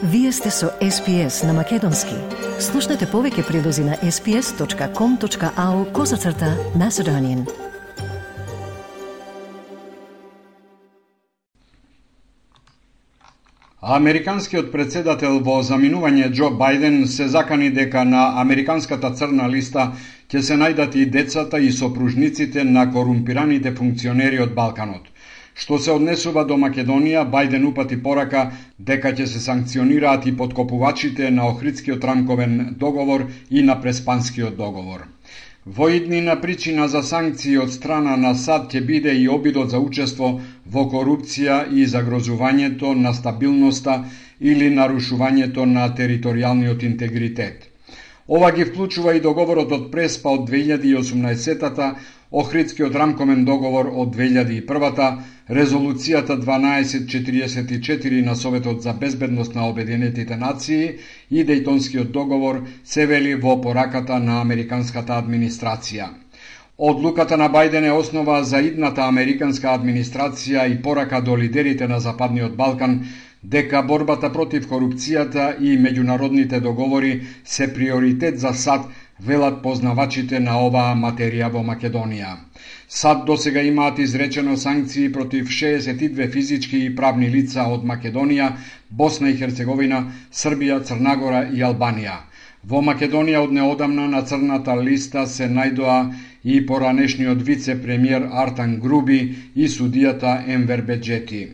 Вие сте со SPS на Македонски. Слушнете повеќе прилози на sps.com.au/Macedonian. Американскиот председател во заминување Џо Бајден се закани дека на американската црна листа ќе се најдат и децата и сопружниците на корумпираните функционери од Балканот. Што се однесува до Македонија, Бајден упати порака дека ќе се санкционираат и поткопувачите на Охридскиот рамковен договор и на Преспанскиот договор. Во иднина причина за санкции од страна на САД ќе биде и обидот за учество во корупција и загрозувањето на стабилноста или нарушувањето на територијалниот интегритет. Ова ги вклучува и договорот од Преспа од 2018-та, Охридскиот рамковен договор од 2001-та, резолуцијата 1244 на Советот за безбедност на Обединетите нации и Дејтонскиот договор, се вели во пораката на американската администрација. Одлуката на Бајден е основа за идната американска администрација и порака до лидерите на Западниот Балкан дека борбата против корупцијата и меѓународните договори се приоритет за САД, велат познавачите на оваа материја во Македонија. САД досега имаат изречено санкции против 62 физички и правни лица од Македонија, Босна и Херцеговина, Србија, Црнагора и Албанија. Во Македонија од неодамна на црната листа се најдоа и поранешниот вице-премиер Артан Груби и судијата Енвер Беџети.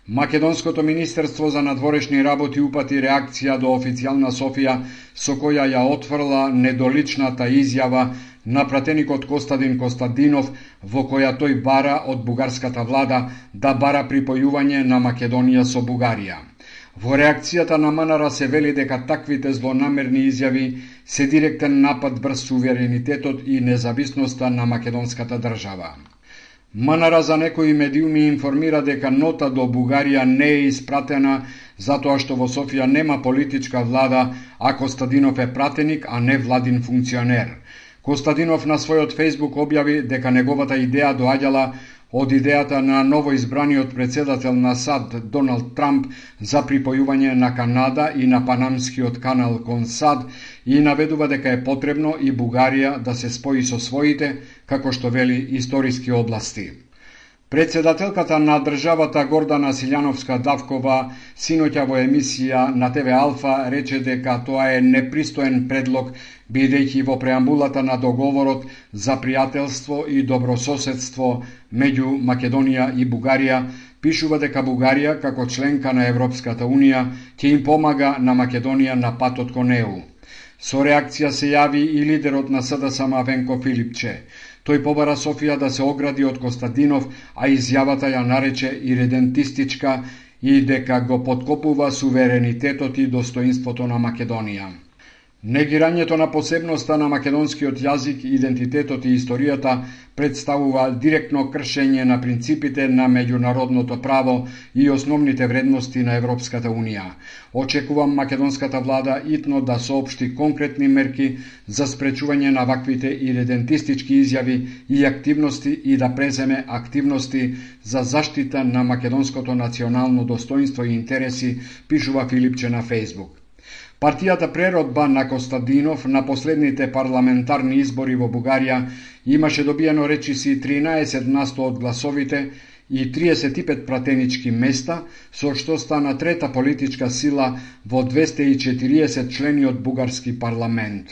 Македонското министерство за надворешни работи упати реакција до официјална Софија, со која ја отфрла недоличната изјава на пратеникот Костадин Костадинов, во која тој бара од бугарската влада да бара припојување на Македонија со Бугарија. Во реакцијата на МНР се вели дека таквите злонамерни изјави се директен напад врз суверенитетот и независноста на македонската држава. МНР за некои медиуми информира дека нота до Бугарија не е испратена затоа што во Софија нема политичка влада, а Костадинов е пратеник, а не владин функционер. Костадинов на својот Фејсбук објави дека неговата идеја доаѓала од идејата на новоизбраниот председател на САД Доналд Трамп за припојување на Канада и на панамскиот канал кон САД и наведува дека е потребно и Бугарија да се спои со своите, како што вели, историски области. Председателката на државата Гордана Силјановска-Давкова синоќа во емисија на ТВ Алфа рече дека тоа е непристоен предлог, бидејќи во преамбулата на договорот за пријателство и добрососедство меѓу Македонија и Бугарија пишува дека Бугарија, како членка на Европската Унија, ќе им помага на Македонија на патот кон ЕУ. Со реакција се јави и лидерот на СДСМ Венко Филипче. Тој побара Софија да се огради од Костадинов, а изјавата ја нарече иредентистичка и дека го поткопува суверенитетот и достоинството на Македонија. Негирањето на посебноста на македонскиот јазик, идентитетот и историјата представува директно кршење на принципите на меѓународното право и основните вредности на Европската Унија. Очекувам македонската влада итно да соопшти конкретни мерки за спречување на ваквите иредентистички изјави и активности и да преземе активности за заштита на македонското национално достоинство и интереси, пишува Филипче на Фејсбук. Партијата Преродба на Костадинов на последните парламентарни избори во Бугарија имаше добиено речиси 13% од гласовите и 35 пратенички места, со што стана трета политичка сила во 240 члени од бугарски парламент.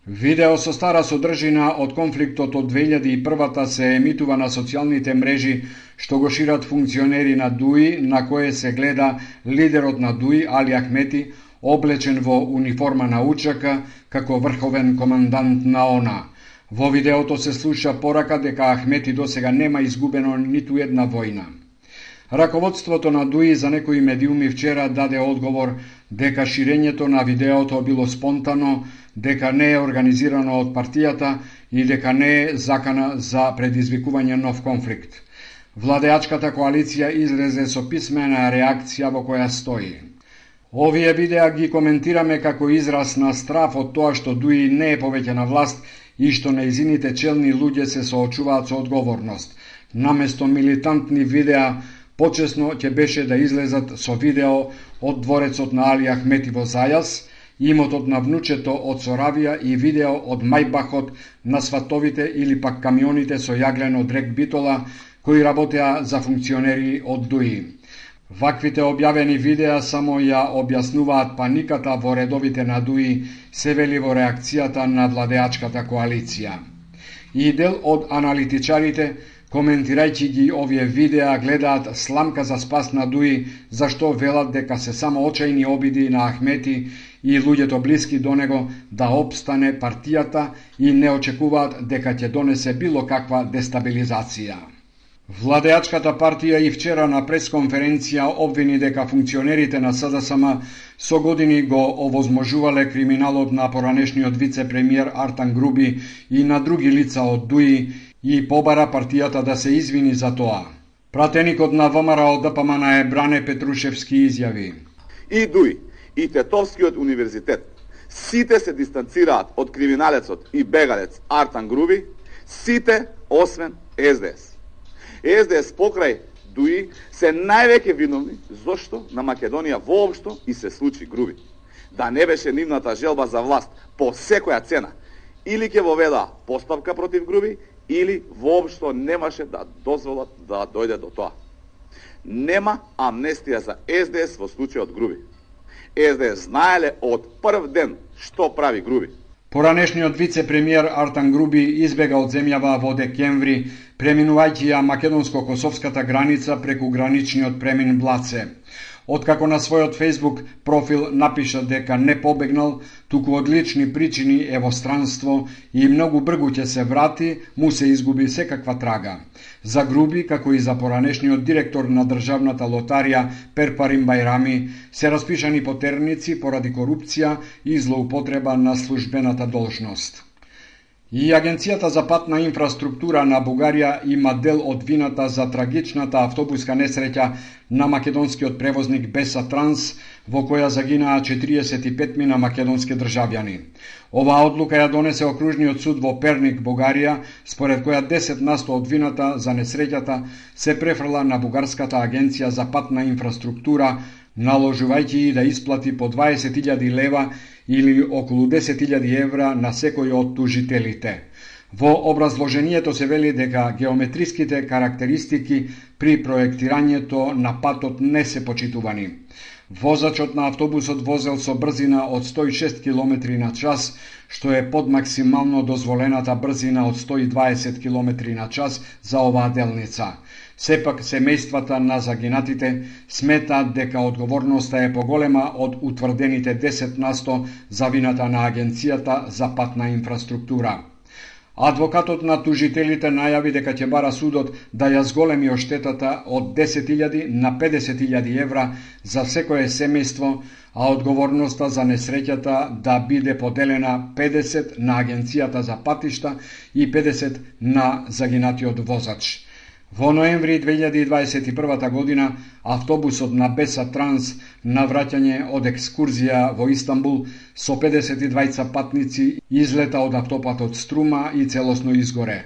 Видео со стара содржина од конфликтот од 2001-та се емитува на социјалните мрежи што го шират функционери на ДУИ, на кое се гледа лидерот на ДУИ Али Ахмети, облечен во униформа на учака како врховен командант на ОНА. Во видеото се слуша порака дека Ахмети досега нема изгубено ниту една војна. Раководството на ДУИ за некои медиуми вчера даде одговор дека ширењето на видеото било спонтано, дека не е организирано од партијата и дека не е закана за предизвикување нов конфликт. Владеачката коалиција излезе со писмена реакција во која стои: овие видеа ги коментираме како израз на страф од тоа што ДУИ не е повеќе на власт и што нејзините челни луѓе се соочуваат со одговорност. Наместо милитантни видеа, Почесно ќе беше да излезат со видео од дворецот на Али Ахмети во Зајас, имотот на внучето од Соравија и видео од мајбахот на сватовите или пак камионите со јаглен од рек Битола кои работеа за функционери од ДУИ. Ваквите објавени видеа само ја објаснуваат паниката во редовите на ДУИ, се вели во реакцијата на владеачката коалиција. И дел од аналитичарите, коментирајќи ги овие видеа, гледаат сламка за спас на ДУИ, зашто велат дека се само очајни обиди на Ахмети и луѓето блиски до него да опстане партијата и не очекуваат дека ќе донесе било каква дестабилизација. Владеачката партија и вчера на пресконференција обвини дека функционерите на СДСМ со години го овозможувале криминалот на поранешниот вице-премиер Артан Груби и на други лица од ДУИ и побара партијата да се извини за тоа. Пратеникот на ВМРО ДПМН е Бране Петрушевски изјави: И ДУИ и Тетовскиот универзитет сите се дистанцираат од криминалецот и бегалец Артан Груби, сите освен СДС. СДС покрај ДУИ се највеќе виновни зошто на Македонија воопшто и се случи Груби. Да не беше нивната желба за власт по секоја цена, или ќе воведа постапка против Груби, или воопшто немаше да дозволат да дојде до тоа. Нема амнестија за СДС во случајот Груби. СДС знаеле од прв ден што прави Груби. Поранешниот вице-премиер Артан Груби избега од земјава во декември, преминувајќи ја македонско-косовската граница преку граничниот премин Блаце. Откако на својот Facebook профил напиша дека не побегнал, туку од лични причини е во странство и многу бргу ќе се врати, му се изгуби секаква трага. За Груби, како и за поранешниот директор на државната лотарија Перпарим Бајрами, се распишани потерници поради корупција и злоупотреба на службената должност. И Агенцијата за патна инфраструктура на Бугарија има дел од вината за трагичната автобуска несреќа на македонскиот превозник Беса Транс, во која загинаа 45 мина македонски државјани. Оваа одлука ја донесе окружниот суд во Перник, Бугарија, според која 10% од вината за несреќата се префрла на Бугарската агенција за патна инфраструктура, наложувајќи и да исплати по 20.000 лева или околу 10.000 евра на секој од тужителите. Во образложението се вели дека геометриските карактеристики при проектирањето на патот не се почитувани. Возачот на автобусот возел со брзина од 106 км на час, што е под максимално дозволената брзина од 120 км на час за оваа делница. Сепак, семејствата на загинатите сметаат дека одговорноста е поголема од утврдените 10% за вината на Агенцијата за патна инфраструктура. Адвокатот на тужителите најави дека ќе бара судот да ја зголеми оштетата од 10.000 на 50.000 евра за секое семејство, а одговорноста за несреќата да биде поделена 50 на Агенцијата за патишта и 50 на загинатиот возач. Во ноември 2021 година автобусот на Беса Транс на враќање од екскурзија во Истанбул со 52 патници излета од автопатот Струма и целосно изгоре.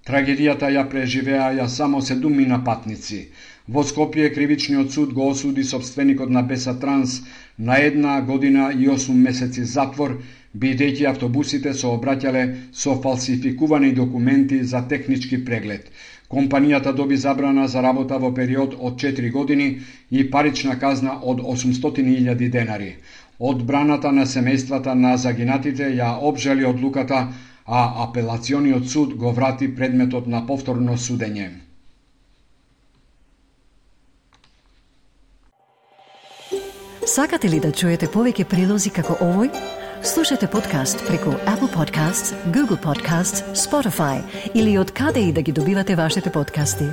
Трагедијата ја преживеа само 7 патници. Во Скопје кривичниот суд го осуди собственикот на Беса Транс на 1 година и 8 месеци затвор, бидејќи автобусите се обраќале со фалсификувани документи за технички преглед. Компанијата доби забрана за работа во период од 4 години и парична казна од 800.000 денари. Одбраната на семејствата на загинатите ја обжали одлуката, а апелациониот суд го врати предметот на повторно судење. Сакате ли да чуете повеќе прилози како овој? Слушате подкаст преку Apple Podcasts, Google Podcasts, Spotify или од каде и да ги добивате вашите подкасти.